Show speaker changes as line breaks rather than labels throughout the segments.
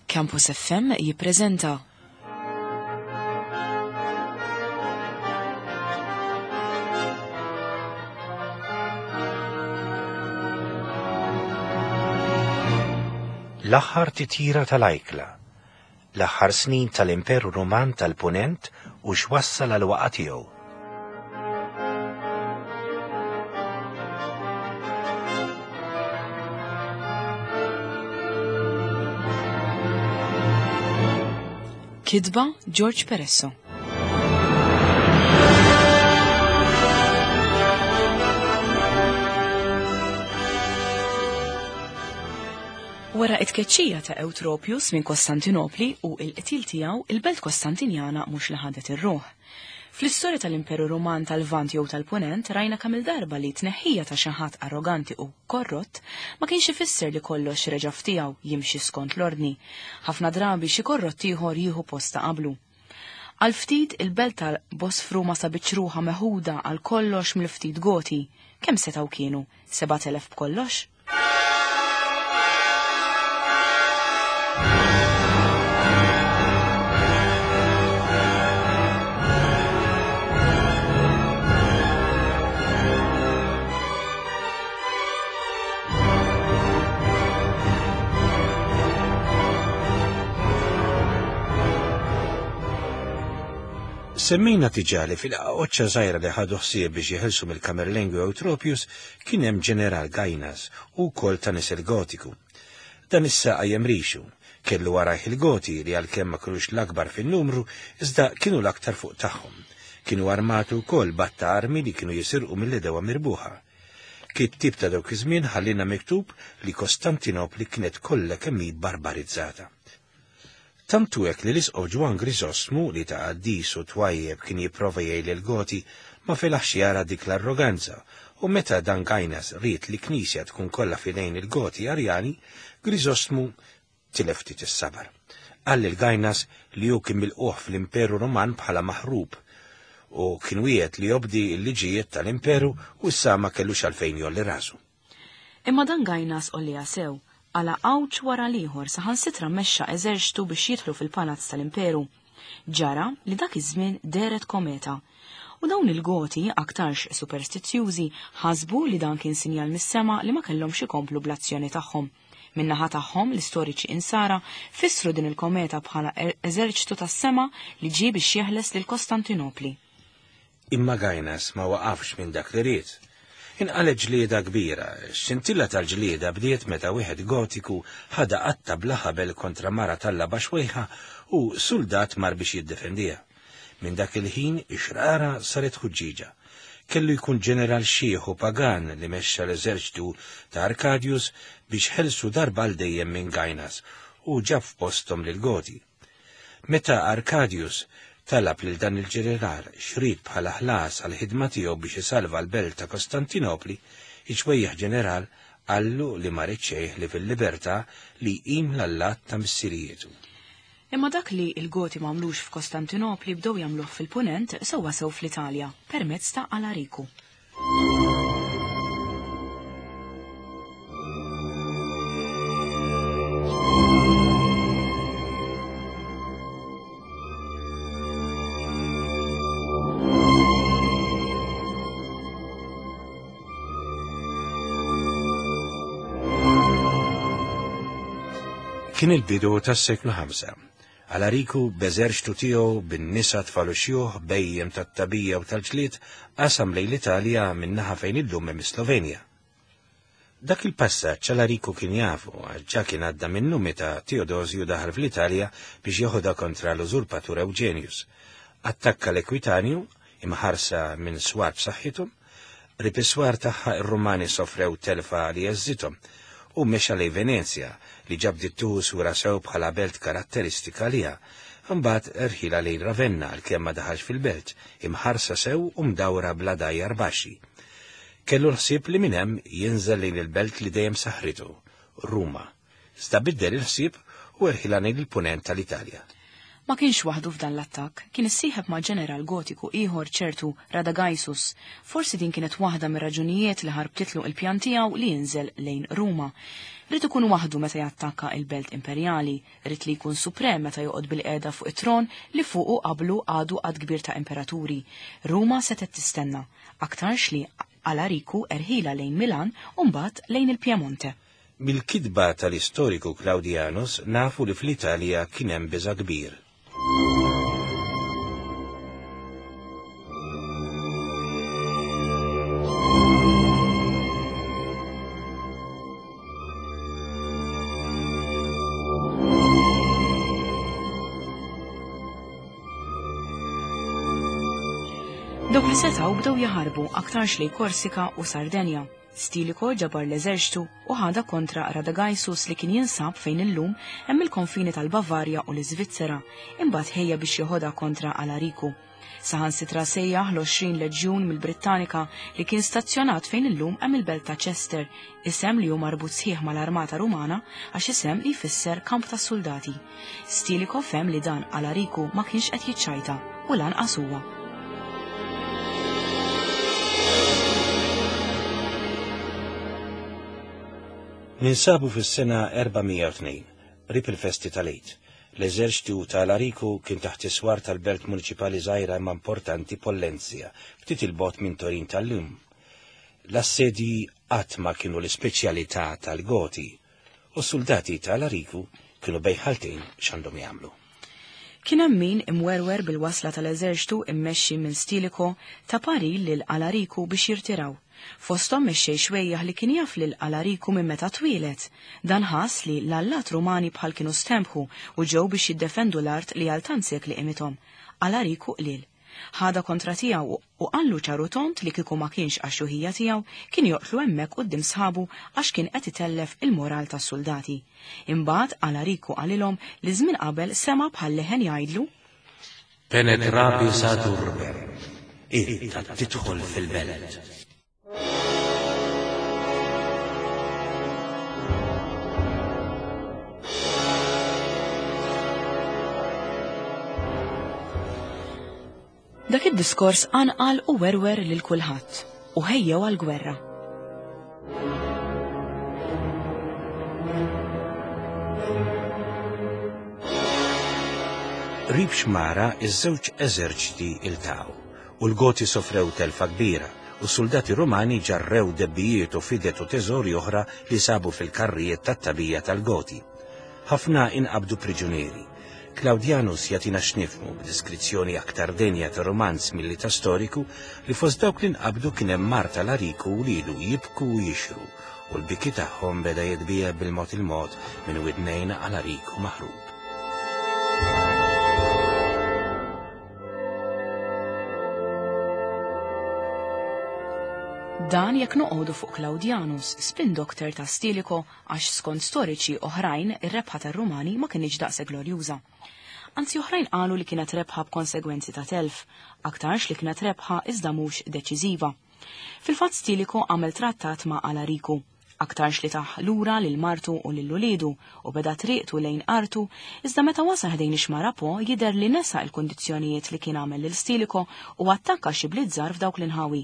Campus FM jippreżenta
L-aħħar titjira tal-ajkla, l-aħħar snin tal-Imperu Ruman tal-Punent u x'wassal għal waqa' tiegħu.
Kitba George Peresso. Wara it-tkeċċija ta' Eutropius minn Kostantinopli u il-qtil tiegħu, il-belt Kostantinjana mhux li ħadet ir-ruħ. Fl-istorja tal-Imperu Ruman tal-Lvant jew tal-Punent rajna kemm-il darba li t-tneħħija ta' xi ħadd arroganti u korrott ma kienx ifisser li kollox reġa' f'tiegħu jimxi skont l-ordni. Ħafna drabi xi korrott ieħor jieħu post ta' qablu. Għal ftit il-belt tal-Bosfru ma sabitx ruħha meħuda għal kollox mill-ftit Goti. Kemm setgħu kienu? 7,000 b'kollox?
Semmejna diġà li fil-qaqoċċa żgħira li ħadu ħsieb biex jeħilsu mill-Kamerlengu Eutropius kien hemm ġeneral Gainas u wkoll ta' nisel Gotiku. Dan issa qajjem rixu. Kellu warajh il-Goti li għalkemm ma kinux l-akbar fin-numru, iżda kienu l-aktar fuq tagħhom. Kienu armati wkoll b'għadd ta' armi li kienu jisirqu mill-għedewwa mirbuħa. Kittieb ta' dawk iż-żmien ħallielna miktub li Kostantinopli kienet kollha kemm hi barbarizzata. Tant hu hekk li l-Isqof Ġwann Griżostmu, li ta' qaddis u twajjeb kien jipprova jgħin lill-Goti, ma felaħx jara dik l-arroganza, u meta dan Gainas ried li knisja tkun kollha f'idejn il-Goti Arjani, Griżostmu tilef ftit is-sabar. Qal lil Gainas li hu kien milqugħ fl-Imperu Ruman bħala maħrub, u kien wiegħed li jobdi l-liġijiet tal-Imperu u issa ma kellux għalfejn jgħolli rasu.
Imma dan Gainas għolliha sew, qala' għawġ wara l-ieħor saħansitra mexxa eżerċtu biex jidħlu fil-palazz tal-imperu. Ġara li dak iż-żmien dehret kometa. U dawn il-Goti, aktarx superstizzjużi, ħasbu li dan kien sinjal mis-sema li ma kellhomx ikomplu bl-azzjoni tagħhom. Min-naħa tagħhom, l-istoriċi Insara fissru din il-kometa bħala eżerċtu tas-sema li ġie biex jeħles lil Kostantinopli.
Imma Gainas ma waqafx minn dak li ried. Inqalgħet ġlieda kbira. X-xintilla tal-ġlieda bdiet meta wieħed Gotiku ħadha qatta bla ħabel kontra mara tallaba xwejħa u suldat mar biex jiddefendiha. Minn dak il-ħin ix-xrara saret ħuġġieġa. Kellu jkun ġeneral xiħ u pagan li mexxa l-eżerċtu ta' Arcadius biex ħelsu darba għal dejjem minn Gainas u ġab f'posthom lill-Goti. Meta Arcadius talab lil dan il-ġeneral x'ried bħala ħlas għall-ħidma tiegħu biex isalva l-belt ta' Kostantinopli, iċ-ċwejjaħ ġeneral qallu li ma ried xejn ħlief il-libertà li jqim l-allat ta' missierijietu.
Imma dak li l-Goti m'għamlux f'Kostantinopli bdew jagħmluh fil-Punent sewwasew fl-Italja, permezz ta' Alariku.
Kien il-bidu tas-seklu 5. Alariku b'eżerċtu tiegħu, bin-nisa, tfal u xjuħ, bhejjem tat-tagħbija u tal-ġlied, qasam lejn l-Italja min-naħa fejn illum hemm is-Slovenja. Dak il-passaġġ Alariku kien jafu għax ġa kien għadda minnu meta Teodosju daħal fl-Italja biex jeħodha kontra l-użurpatur Ewġenjus. Attakka l-Ekwitanju, imħarsa minn swar b'saħħithom, qrib is-swar tagħha r-Rumani sofrew telfa li għeżżithom, u mexa lejn Venezja, li ġa bdiet tieħu sura sew bħala belt karatteristika għaliha. Imbagħad rħilha lejn Ravenna għalkemm ma daħalx fil-belt, imħarsa sew u mdawra bl-għadajjar baxxi. Kellu l-ħsieb li minn hemm jinżel lejn il-belt li dejjem saħħritu, Ruma. Iżda biddel il-ħsieb u erħilha lejn il-punent tal-Italja.
Ma kienx waħdu f'dan l-attakk, kien issieħeb ma' ġeneral Gotiku ieħor ċertu Radagaisus. Forsi din kienet waħda mir-raġunijiet li ħarbtitlu il-pjan tiegħu li jinżel lejn Ruma. Ried ikun waħdu meta jattakka il-belt imperjali, ried li jkun suprem meta joqgħod bil-qiegħda fuq it-tron li fuqu qablu għadu għadd kbir ta' imperaturi. Ruma setgħet tistenna, aktarx li Alariku erħilha lejn Milan u mbagħad lejn il-Piemonte.
Mill-kitba tal-istoriku Claudianus nafu li fl-Italja kien hemm biża' kbir.
Dawk li setgħu bdew jaħarbu aktarx lejn Korsika u Sardenja. Stilicho ġabar l-eżerċtu u ħadha kontra Radagaisus li kien jinsab fejn illum hemm il-konfini tal-Bavarja u l-Iżvizzera, imbagħad ħejja biex jeħodha kontra Alariku. Saħansitra sejjaħ l-20 leġjun mill-Brittanika li kien stazzjonat fejn illum hemm il-belt ta' Chester, isem li hu marbut sħiħ mal-armata Rumana għax isem li jfisser kamp tas-suldati. Stilicho fehem li dan Alariku ma kienx qed jiċċajta u lanqas huwa.
Ninsabu fis-sena 402, qrib il-festi tal-Għid. L-eżerċtu ta' Alariku kien taħt is-swar tal-belt muniċipali żgħira imma importanti Pollenzia, ftit 'il bogħod minn Torin tal-lum. L-assedji qatt ma kienu l-ispeċjalità tal-Goti, u s-suldati ta' Alariku kienu bejn ħaltejn x'għandhom jagħmlu.
Kien hemm min, imwerwer bil-wasla tal-eżerċtu mmexxi minn Stilicho, ta parir lil Alariku biex jirtiraw. Fosthom mexxej xwejjaħ li kien jaf lil Alariku minn meta twieled. Dan ħass li l-allat Rumani bħal kienu stembħu u ġew biex jiddefendu l-art li għal tant sekli qimithom. Alariku qliel. Ħadha kontra tiegħu u qallu ċar u tond li kieku ma kienx għax-xjuħija tiegħu kien joqtlu hemmhekk quddiem sħabu għax kien qed itellef il-moral tas-suldati. Imbagħad Alariku qalilhom li żmien qabel sema' bħal leħen jgħidlu.
Penetrabis ad urbem, int għad tidħol fil-belt.
Dak id-diskors qanqal u werwer lil kulħadd u ħejjew għall-gwerra.
Qrib xmara iż-żewġ eżerċti iltaqgħu u l-Goti sofrew telfa kbira u s-suldati Rumani ġarrew debbijiet u fidet u teżori oħra li sabu fil-karrijiet tat-tagħbija tal-Goti. Ħafna inqabdu priġunieri. Claudianus jagħtina x'nifhmu, b'deskrizzjoni aktar denja ta' rumanz milli ta' storiku, li fost dawk li nqabdu kien hemm mart Alariku u wliedu jibku u jixhru, u l-biki tagħhom beda jitbiegħed bil-mod il-mod minn widnejn Alariku maħrub.
Dan jekk noqogħdu fuq Claudianus, spin doctor ta' Stilicho għax skont storiċi oħrajn ir-rebħa tar-Rumani ma kinitx daqshekk glorjuża. Anzi oħrajn qalu li kienet rebħa b'konsegwenzi ta' telf, aktarx li kienet rebħa iżda mhux deċiżiva. Fil-fatt Stilicho għamel trattat ma' Alariku, aktarx li tah lura lil martu u lil uliedu u beda triqtu lejn artu, iżda meta wasal ħdejn ix-xmara Po jidher li nesa l-kundizzjonijiet li kien għamel lil Stilicho u attakka xi bliet żgħar f'dawk l-inħawi.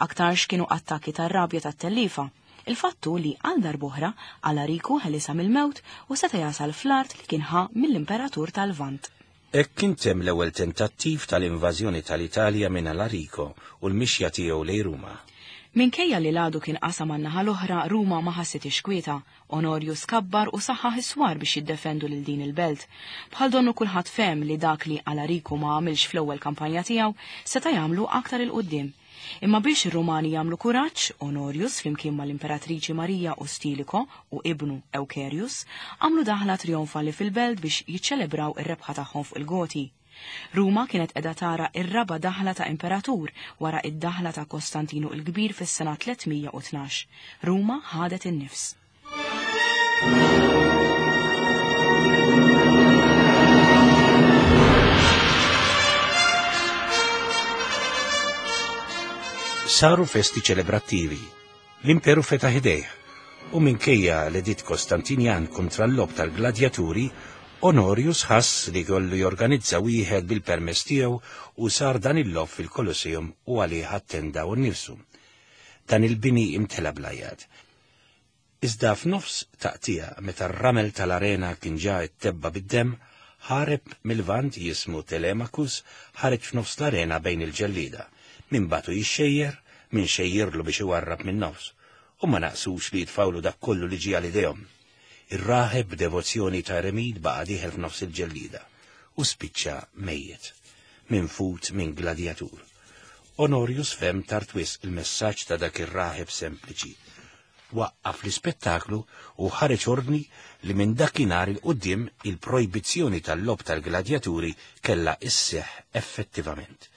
Aktarx kienu attakki tar-rabja tat-telliefa. Il-fatt hu li għal darb'oħra Alariku ħelisha mill-mewt u seta' jasal fl-art li kien ħa mill-Imperatur tal-Lvant.
Hekk intemm l-ewwel tentattiv tal-invażjoni tal-Italja minn Alarico u l-mixja tiegħu lejn Ruma.
Minkejja li l-għadu kien qasam għan-naħa l-oħra, Ruma ma ħassithiex kwieta. Onorius kabbar u saħħaħ is-swar biex jiddefendu lil din il-belt. Bħal donnu kulħadd fehem li dak li Alariku ma għamilx fl-ewwel kampanja tiegħu, seta' jagħmlu aktar 'il quddiem. Imma biex ir-Rumani jagħmlu kuraġġ, Onorius flimkien mal-Imperatriċi Marija u Stilicho u ibnu Eucherius, għamlu daħla trionfali fil-belt biex jiċċelebraw ir-rebħa tagħhom fuq il-Goti. Ruma kienet qiegħda tara r-raba' daħla ta' imperatur wara d-daħla ta' Kostantinu l-Kbir fis-sena 312. Ruma ħadet in-nifs.
Saru festi ċelebrattivi. L-imperu fetaħ idejh u minkejja l-editt Kostantinjan kontra l-logħob tal-gladjaturi, Honorius ħass li kollu jorganizza wieħed bil-permess tiegħu u sar dan il-logħob fil-Colosseum u għalih attenda hu nnifsu. Dan il-bini imtela bl-għajat. Iżda f'nofs taqtigħa meta r-ramel tal-arena kien ġa ittebba' bid-demm, ħareb mil-Lvant jismu Telemachus ħareġ f'nofs l-arena bejn il-ġellieda, min bagħtu jixxejjer, min xejjirlu biex iwarrab min-nofs, u ma naqsux li jitfgħulu dak kollu li ġie għal idejhom. Ir-raħeb b'devozzjoni ta' eremit baqa' dieħel f'nofs il-ġellieda u spiċċa mejjet, minfud minn gladjatur. Honorius fehem tard wisq il-messaġġ ta' dak ir-raħeb sempliċi. Waqqaf l-ispettaklu u ħareġ ordni li minn dakinhar 'il quddiem il-projbizzjoni tal-logħob tal-gladjaturi kellha sseħħ effettivament.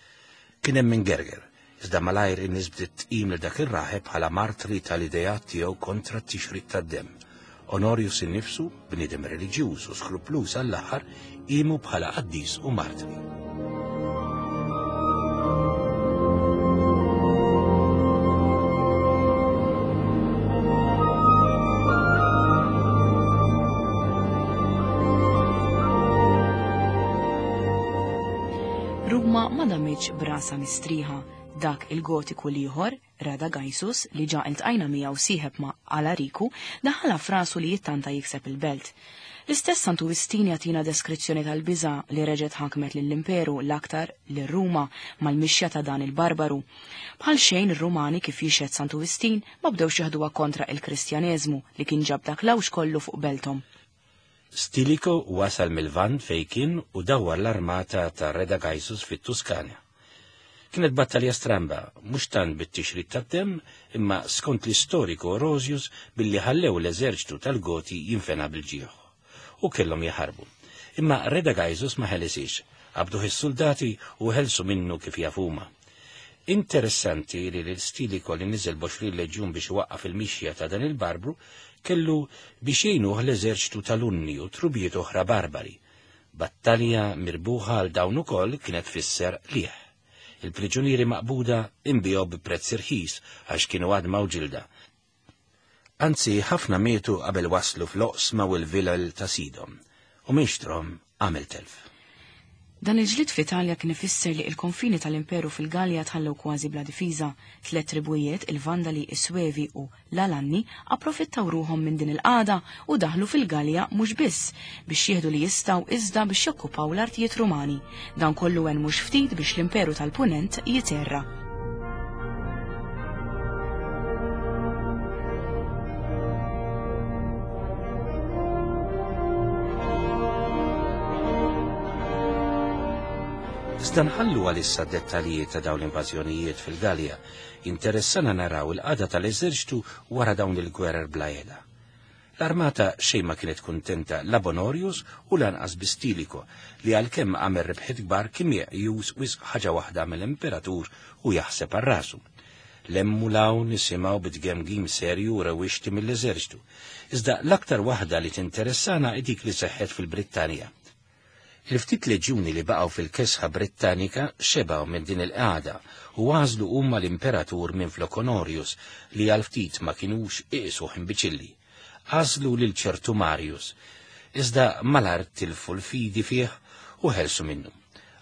Kien hemm min gerger, iżda malajr in-nies bdiet tqim lil dak ir-raħeb bħala martri tal-ideat tiegħu kontra t-tixrid tad-demm. Honorius innifsu, bniedem reliġjuż u skrupluż għall-aħħar, qiemu bħala qaddis u martri.
Ruma ma damitx brasa mistrieħa. Dak il-Gotiku l-ieħor, Radagaisus, li ġa iltqajna miegħu sieħeb ma' Alariku, daħħalha f'rasu li jittanta jikseb il-belt. L-istess Santu Wistin jagħtina deskrizzjoni tal-biża' li reġgħet ħakmet lill-Imperu, l-aktar lil Ruma, mal-mixja ta' dan il-barbaru. Bħal xejn ir-Rumani, kif jixhed Santu Wistin, ma bdewx jeħduha kontra il-Kristjaneżmu li kien ġab dak l-għawġ kollu fuq belthom.
Stilicho wasal mil-Lvant fejn kien u dawwar l-armata ta' Radagaisus fit-Tuskana. Kienet battalja stramba, mhux tant bit-tixrid tad-demm, imma skont l-istoriku Orosius billi ħallew l-eżerċtu tal-Goti jinfena bil-ġieħ. U kellhom jaħarbu. Imma Radagaisus ma ħelisiex, qabduh is-suldati u ħelsu minnu kif jaf huma. Interessanti li lil Stilicho li niżel b'għoxrin leġjun biex iwaqqaf il-mixja ta' dan il-barbru, kellu biex jgħinuh l-eżerċtu tal-Unni u trubijiet oħra barbari. Battalja mirbuħa għal dawn ukoll kienet tfisser qligħ. Il-priġunieri maqbuda inbiegħu bi prezz irħis għax kienu għadma u ġilda. Anzi, ħafna mietu qabel waslu fl-oqsma u l-vilel ta' sidhom, u min xtrahom għamel telf.
Dan il-ġlied fl-Italja kien ifisser li il-konfini tal-Imperu fil-Galja tħallew kważi bla difiża. Tlett tribujiet, il-Vandali, is-Svevi u l-Alanni, approfittaw ruħhom minn din il-qagħda u daħlu fil-Galja mhux biss biex jieħdu li jistgħu iżda biex jokkupaw l-artijiet Rumani. Dan kollu għen mhux ftit biex l-Imperu tal-Punent jiterra.
Iżda nħallu għalissa d-dettalji ta' dawn l-invażjonijiet fil-Galja. Jinteressana naraw il-qagħda tal-eżerċtu wara dawn il-gwerer bla heda. L-armata xejn ma kienet kuntenta la b'Honorius u lanqas bi Stilicho, li għalkemm għamel rebħiet kbar kien meqjus wisq ħaġa waħda mill-imperatur u jaħseb għal rasu. 'L hemm u 'l hawn nisimgħu bi tgemgim serju u rewwixti mill-eżerċtu. Iżda l-aktar waħda li tinteressana hi dik li seħħet fil-Brittanja. Il-ftit leġjuni li baqgħu fil-kesħa Brittanika xebgħu minn din il-qagħda u għażlu huma l-imperatur minflok Honorius li għal ftit ma kinux iqisuh imbiċilli. Għażlu lil ċertu Marius. Iżda malajr tilfu l-fidi fih u ħelsu minnu.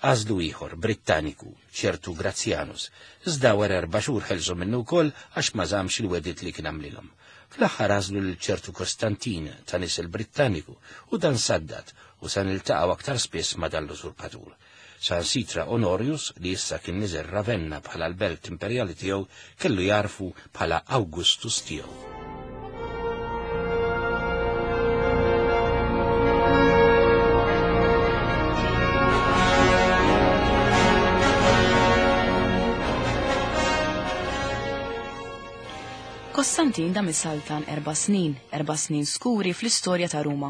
Għażlu ieħor, Brittaniku, ċertu Gratianus. Iżda wara erba' xhur ħelsu minnu wkoll għax ma żammx il-wegħdiet li kien għamlilhom. Fl-aħħar għażlu lil ċertu Kostantin ta' nisel Brittaniku u dan saddad u sa niltaqgħu aktar spiss ma' dan l-usurpatur. Saħansitra Honorius, li issa kien niżel Ravenna bħala l-belt imperjali tiegħu, kellu jagħrfu bħala Augustus tiegħu.
Kostantin dam isaltan 4 snin, 4 snin skuri fl-istorja ta' Ruma.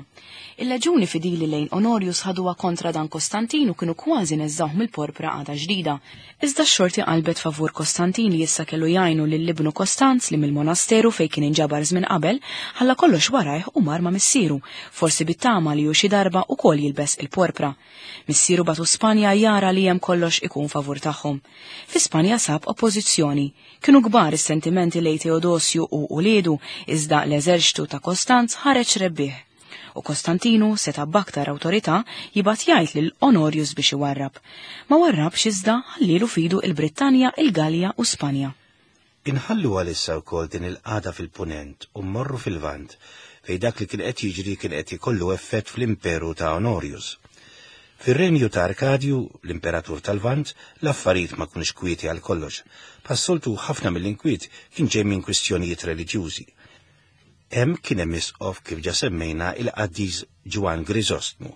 Il-leġuni fidili lejn Honorius ħaduha kontra dan Kostantin u kienu kważi neżżawh mill-porpra għada ġdida. Iżda x-xorti qalbet favur Kostantin li issa kellu jgħinu lil ibnu Kostanz li mill-monasteru fejn kien inġabar żmien qabel, ħalla kollox warajh u mar ma' missieru, forsi bit-tama li hu xi darba ukoll jilbes il-porpra. Missieru bagħtu Spanja jara li hemm kollox ikun favur tagħhom. Fi Spanja sab oppożizzjoni. Kienu kbar is-sentimenti lejn Teodosju u uliedu, iżda l-eżerċtu ta' Kostanz ħareġ rebbieħ. u Kostantinu seta' b'aktar awtorità jibgħat jgħid lil Onorius biex iwarrab. Ma warrabx iżda ħallielu f'idu il-Brittanja, il-Galja u Spanja.
Inħallu għalissa wkoll din il-qagħda fil-Punent u mmorru fil-Lvant, fejn dak li kien qed jiġri kien qed ikollu effett fl-imperu ta' Onorius. Fir-renju ta' Arkadju, l-imperatur tal-Lvant, l-affarijiet ma kinux kwieti għal kollox. Bħas-soltu ħafna mill-inkwiet kien ġej minn kwistjonijiet reliġjużi. Hemm kien hemm isqof kif ġa semmejna il-qaddis Ġwann Griżostmu,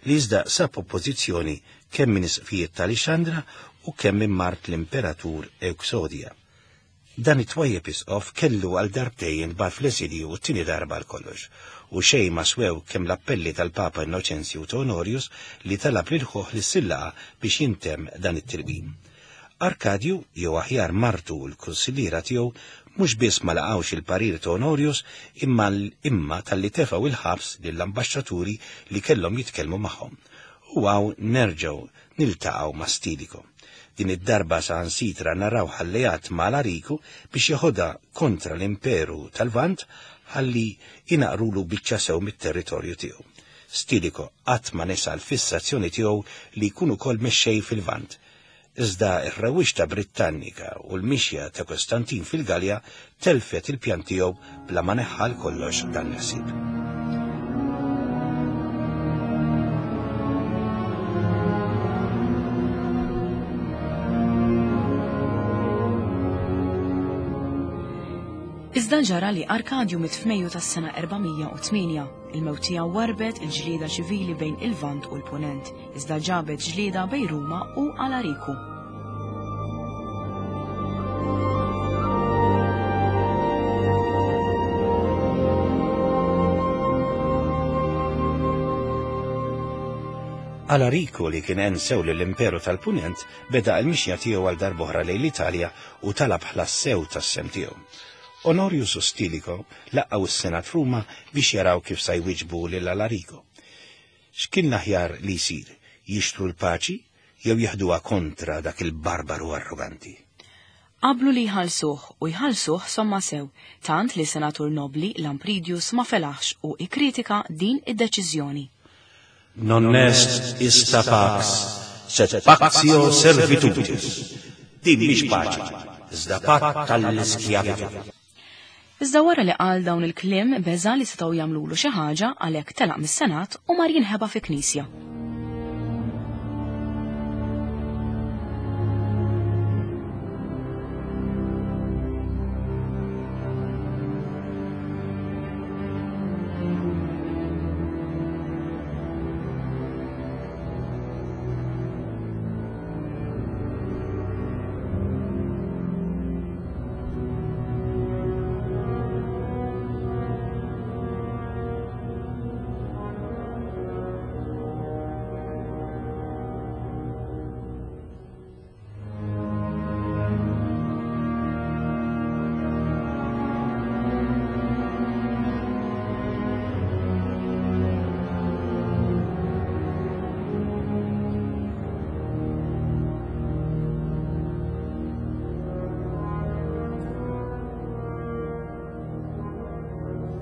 li iżda sab oppożizzjoni kemm minn isqfijiet ta' Lixandra u kemm minn mart l-imperatur Ewksodja. Dan it-twajjeb isqof kellu għal darbtejn jintbagħat fl-eżilju u t-tieni darba għal kollox, u xejn ma swew kemm l-appelli tal-Papa Innoċenzju u ta' Onorius li talab lil ħuh li ssir laqgħa biex jintemm dan it-tilwim. Arkadju, jew aħjar martu u l-kunsilliera tiegħu, mhux biss ma laqgħux il-parir ta' Onorius imma imma talli tefgħu il-ħabs lill-ambaxxaturi li kellhom jitkellmu magħhom. U hawn nerġgħu niltaqgħu ma' Stilicho. Din id-darba saħansitra narawh alleat ma' Alariku biex jeħodha kontra l-Imperu tal-Lvant ħalli jnaqrulu biċċa sew mit-territorju tiegħu. Stilicho qatt ma nesa l-fissazzjoni tiegħu li jkun ukoll mexxej fil-Lvant. Iżda r-rewwixta Brittannika u l-mixja ta' Kostantin fil-Galja telfet il-pjan tiegħu bla ma neħħa għal kollox dan il-ħsieb.
Iżda ġara li Arkadju miet f'Mejju tas-sena 408. Il-mewt tiegħu warrbet il-ġlieda ċivili bejn il-Lvant u l-Punent, iżda ġabet ġlieda bejn Ruma u Alariku.
Alariku li kien għen sew lill-Imperu tal-Punent beda l-mixja tiegħu għal darb'oħra lejn l-Italja u talab ħlas sew tas-sehem tiegħu. Onorius u Stilicho laqgħu s-Senat f'Ruma biex jaraw kif sa jwieġbu lil Alarico. X'kien l-aħjar li jsir, jixtru l-paċi jew jeħduha kontra dak il-barbaru arroganti?
Qablu li jħallsuh, u jħallsuh somma sew, tant li senatur nobbli, Lampridius, ma felaħx u ikkritika din id-deċiżjoni.
Non est ista pax, sed pactio servitutis. Din mhix paċi, iżda patt tal-iskjavitù.
Iżda wara li qal dawn il-kliem beża' li setgħu jagħmlulu xi ħaġa għalhekk telaq mis-Senat u mar jinħeba fi knisja.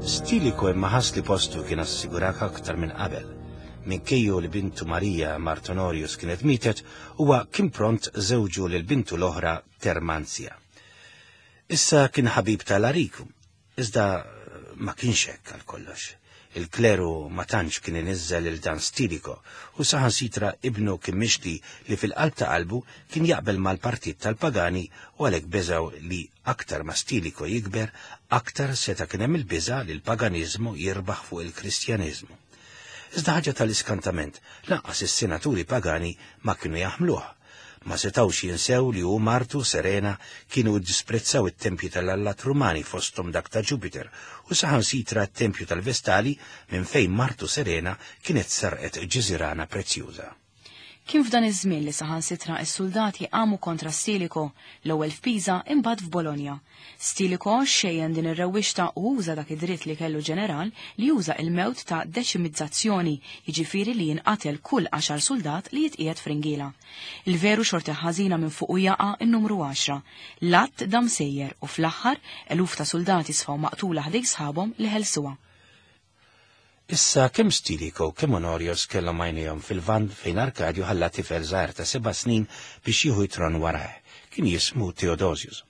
Stilicho imma ħass li postu kien assigurak aktar minn qabel. Minkejju li bintu Marija mart Honorius kienet mietet, huwa kien pront żewġu lil bintu l-oħra Termanzja. Issa kien ħabib ta' Alariku, iżda ma kienx hekk għal kollox. Il-kleru ma tantx kien iniżżel lil dan Stilicho u saħansitra ibnu kien mixli li fil-qalb ta' qalbu kien jaqbel mal-partit tal-pagani u għalhekk beżgħu li aktar ma Stilicho jikber, aktar seta' kien hemm il-biża' li l-paganiżmu jirbaħ fuq il-Kristjaneżmu. Iżda ħaġa tal-iskantament, lanqas is-senaturi pagani ma kienu jaħmluh. Ma setgħux jinsew li hu u martu, Serena, kienu ddisprezzaw it-tempji tal-allat Rumani fosthom dak ta' Ġupiter u saħansitra t-tempju tal-Vestali minn fejn martu Serena kienet serqet ġiżirana prezzjuża.
Kien f'dan iż-żmien li saħansitra s-suldati qamu kontra Stilicho, l-ewwel f'Pisa imbagħad f'Bologna. Stilicho xejjen din ir-rewwixta u uża dak id-dritt li kellu ġeneral li juża il-mewt ta' deċimizzazzjoni, jiġifieri li jinqatel kull għaxar suldat li jitqiegħed f'ringiela. Il-veru xorti ħażina minn fuqu jaqa' n-numru għaxra. L-att dam sejjer u fl-aħħar, eluf ta' suldati sfaw maqtula ħdejn sħabhom li ħelsuha.
Issa kemm Stilicho kemm Honorius kellhom għajnejhom fil-Lvant fejn Arkadju ħalla tifel żgħir ta' seba' snin biex jieħu t-tron warajh. Kien jismu Theodosius.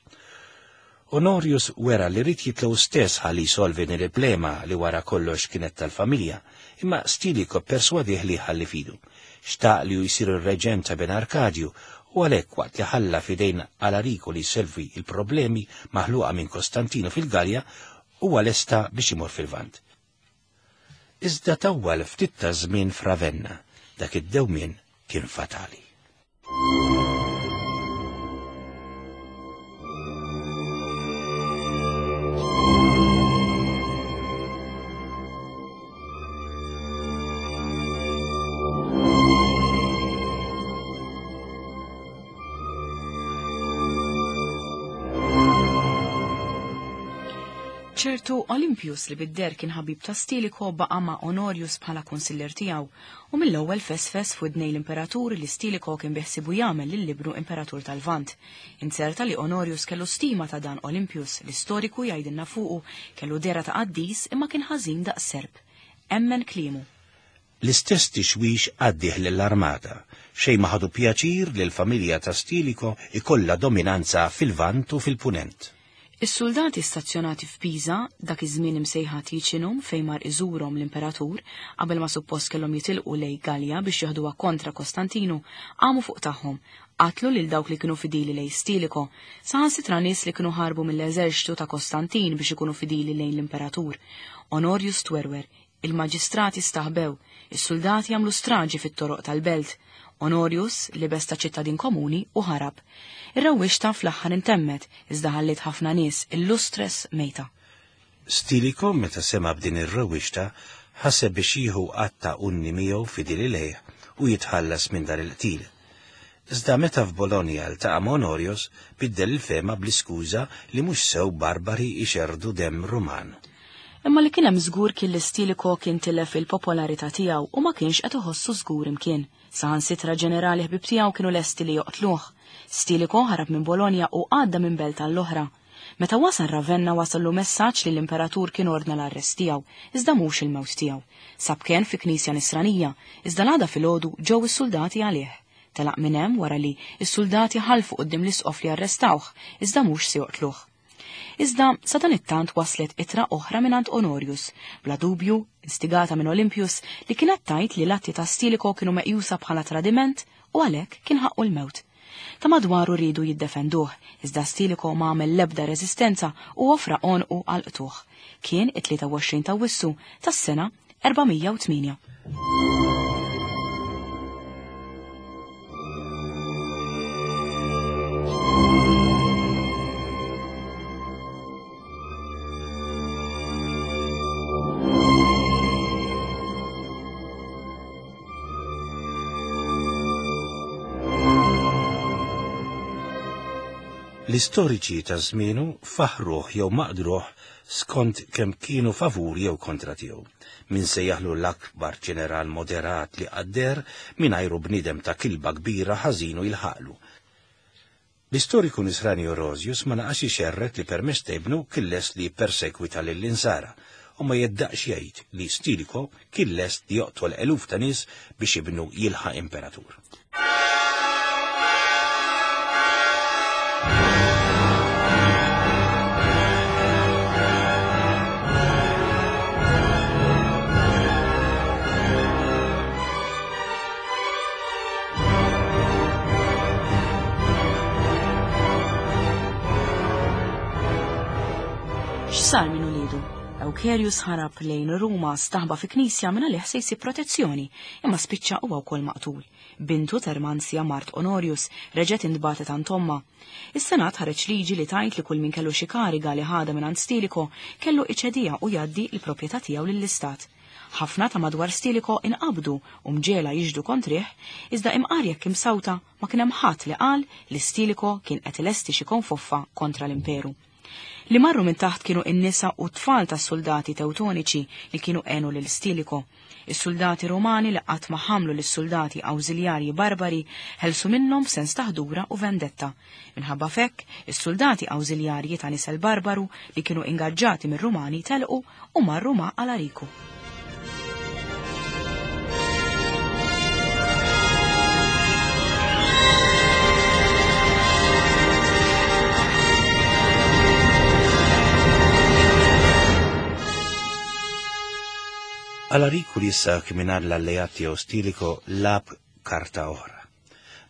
Honorius wera li ried jitla' hu stess ħalli jsolvi din il-plema li wara kollox kienet tal-familja, imma Stilicho pperswadih li jħalli f'idu. Xtaq li hu jsir ir-reġent ta' bin Arkadju u għalhekk waqt li ħalla f'idejn Alariku li jsolvi l-problemi maħluqa minn Kostantinu fil-Galja, huwa lesta biex imur fil-Lvant. Iżda tawwal ftit ta' żmien f'Ravenna, dak id-dewmien kien fatali.
Ċertu Olympius li bid-deher kien ħabib ta' Stilicho baqa' ma' Honorius bħala kunsillier tiegħu u mill-ewwel fesfes f'widnej l-imperatur li Stilicho kien biħsiebu jagħmel lil ibnu imperatur tal-Lvant. Inzerta li Honorius kellu stima ta' dan Olympius, l-istoriku jgħidilna fuqu kellu dehra ta' qaddis imma kien ħażin daqs serp. Emmen kliemu.
L-istess tixwix għaddieh lill-armata. Xejn ma ħadu pjaċir li l-familja ta' Stilicho jkollha dominanza fil-Lvant u fil-Punent.
Is-suldati stazzjonati f'Pisa, dak iż-żmien imsejħa Ticinum fejn mar iżurhom l-imperatur, qabel ma suppost kellhom jitilqu lejn Gallia biex joħduha kontra Kostantinu, qamu fuq tagħhom, qatlu lil dawk li kienu fidili lejn Stilicho, saħansitra nies li kienu ħarbu mill-eżerċtu ta' Kostantin biex ikunu fidili lejn l-imperatur. Honorius twerwer, Il-maġistrati staħbew, is-suldati għamlu straġi fit-toroq tal-belt. Honorius libes ta' ċittadin komuni u ħarab. Ir-rewwixta fl-aħħar intemmet, iżda ħalliet ħafna nies illustres mejta.
Stilicho meta sema' b'din ir-rewwixta ħaseb biex jieħu għadd ta' unni miegħu fidili lejh u jitħallas minn dan il-qtil. Iżda meta f'Bologna ltaqa' ma' Honorius, biddel il-fehma bl-iskuża li mhux sew barbari jxerrdu demm Ruman.
Imma li kien hemm żgur kien li Stilicho kien tilef il-popolarità tiegħu u ma kienx qed iħossu żgur imkien. Saħansitra ġenerali ħbieb tiegħu kienu lesti li joqtluh. Stilicho ħarab minn Bologna u għadda minn belt għall-oħra. Meta wasal Ravenna wasallu messaġġ li l-imperatur kien ordna l-arrest tiegħu, iżda mhux il-mewt tiegħu. Sab kenn fi knisja Nisranija, iżda l-għada filgħodu ġew is-suldati għalih. Telaq minn hemm wara li s-suldati ħalfu quddiem l-isqof li arrestawh, iżda mhux se joqtluh. Iżda sadanittant waslet ittra oħra mingħand Honorius, bla dubju instigata minn Olympius li kienet tgħid li l-atti ta' Stilicho kienu meqjusa bħala tradiment u għalhekk kien ħaqqu l-mewt. Ta' madwaru riedu jiddefenduh, iżda Stilicho ma għamel l-ebda reżistenza u offra għonqu għall-qtugħ. Kien it-23 t'Awwissu tas-sena 408.
L-istoriċi ta' żmienu faħruh jew maqdruh skont kemm kienu favur jew kontra tiegħu. Min sejjaħlu l-akbar ġeneral moderat li qatt deher, mingħajru bniedem ta' kilba kbira ħażin u jilħaqlu. L-istoriku Nisrani Orosius ma naqasx ixerred li permezz ta' ibnu kien lest li jippersekwita lill-Insara u ma jeddaqx jgħid li Stilicho kien lest li joqtol eluf ta' nies biex ibnu jilħaq imperatur.
X'sar minn uliedu? Eucherius ħarab lejn Ruma staħba fi knisja minn għalih se jsib protezzjoni, imma spiċċa huwa wkoll maqtul. Bintu Termanzja mart Honorius reġgħet intbagħtet għand ommha. Is-Senat ħareġ liġi li tgħid li kull min kellu xi kariga li ħadha mingħand Stilicho kellu iċediha u jgħaddi l-proprjetà tiegħu lill-Istat. Ħafna ta' madwar Stilicho inqabdu u mġegħla jixhdu kontrih, iżda imqar jekk imsawta ma kien hemm ħadd li qal li Stilicho kien qed ilesti xi konfoffa kontra l-Imperu. Li marru minn taħt kienu n-nisa u t-tfal tas-suldati Tewtoniċi li kienu għenu lil Stilicho. Is-suldati Rumani li qatt ma ħamlu lis-suldati awżiljarji barbari ħelsu minnhom b'sens ta' ħdura u vendetta. Minħabba f'hekk, is-suldati awżiljarji ta' nisel barbaru li kienu ingaġġati mir-Rumani telqu u marru ma' Alariku.
Alariku li issa kien mingħajr l-alleat tiegħu Stilicho lagħab karta oħra.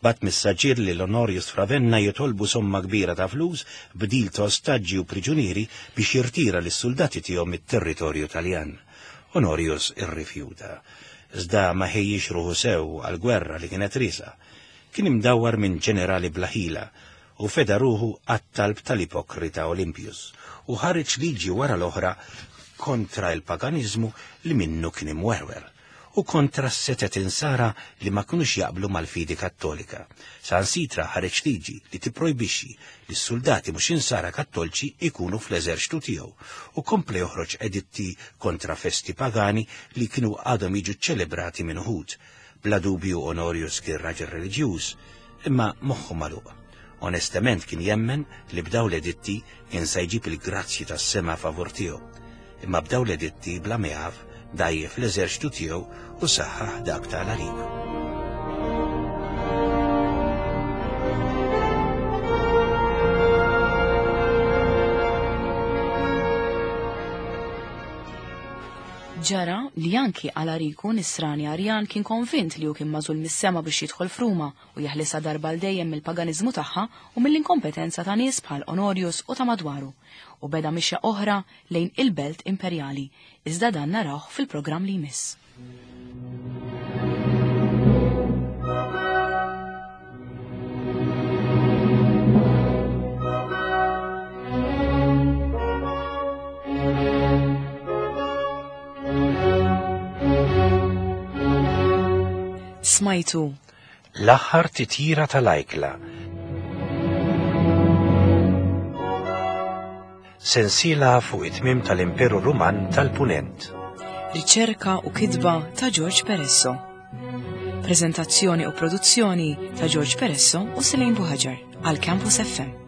Bagħat messaġġier lil Honorius f'Ravenna jitolbu somma kbira ta' flus b'dil ta' ostaġġi u priġunieri biex jirtira lis-suldati tiegħu mit-territorju Taljan. Honorius irrifjuta. Iżda ma ħejjiex ruħu sew għall-gwerra li kienet riesqa. Kien imdawwar minn ġenerali bla ħila u feda ruħu għat-talb tal-ipokrita Olympius u ħareġ liġi wara l-oħra kontra l-paganiżmu li minnu kien imwerwer u kontra s-setet insara li ma kinux jaqblu mal-fidi Kattolika. Saħansitra ħareġ liġi li tipprojbixxi li s-suldati mhux insara Kattolċi jkunu fl-eżerċtu tiegħu u kompla joħroġ editti kontra festi pagani li kienu għadhom jiġu ċċelebrati minn uħud. Bla dubju Onorius kien raġel reliġjuż, imma moħħu magħluq. Onestament kien jemmen li b'dawn l-editti kien se jġib il-grazzji tas-sema favur tiegħu. Imma b'dawn l-editti bla ma jaf dgħajjef l-eżerċtu tiegħu u saħħaħ dak ta' Alariku.
Ġara li anki Alariku nisrani Arjan kien konvint li hu kien magħżul mis-sema biex jidħol f'Ruma u jeħlisha darba għal dejjem mill-paganiżmu tagħha u mill-inkompetenza ta' nies bħal Onorius u ta' madwaru, u beda mixja oħra lejn il-belt imperjali, iżda dan narawh fil-programm li jmiss. Smajtu.
L-aħħar titjira tal-ajkla. Sensiela fuq it-tmiem tal-Imperu Ruman tal-Punent.
Riċerka u kitba ta' George Peresso. Prezentazzjoni u produzzjoni ta' George Peresso u Selene Buhaġar għal Campus FM.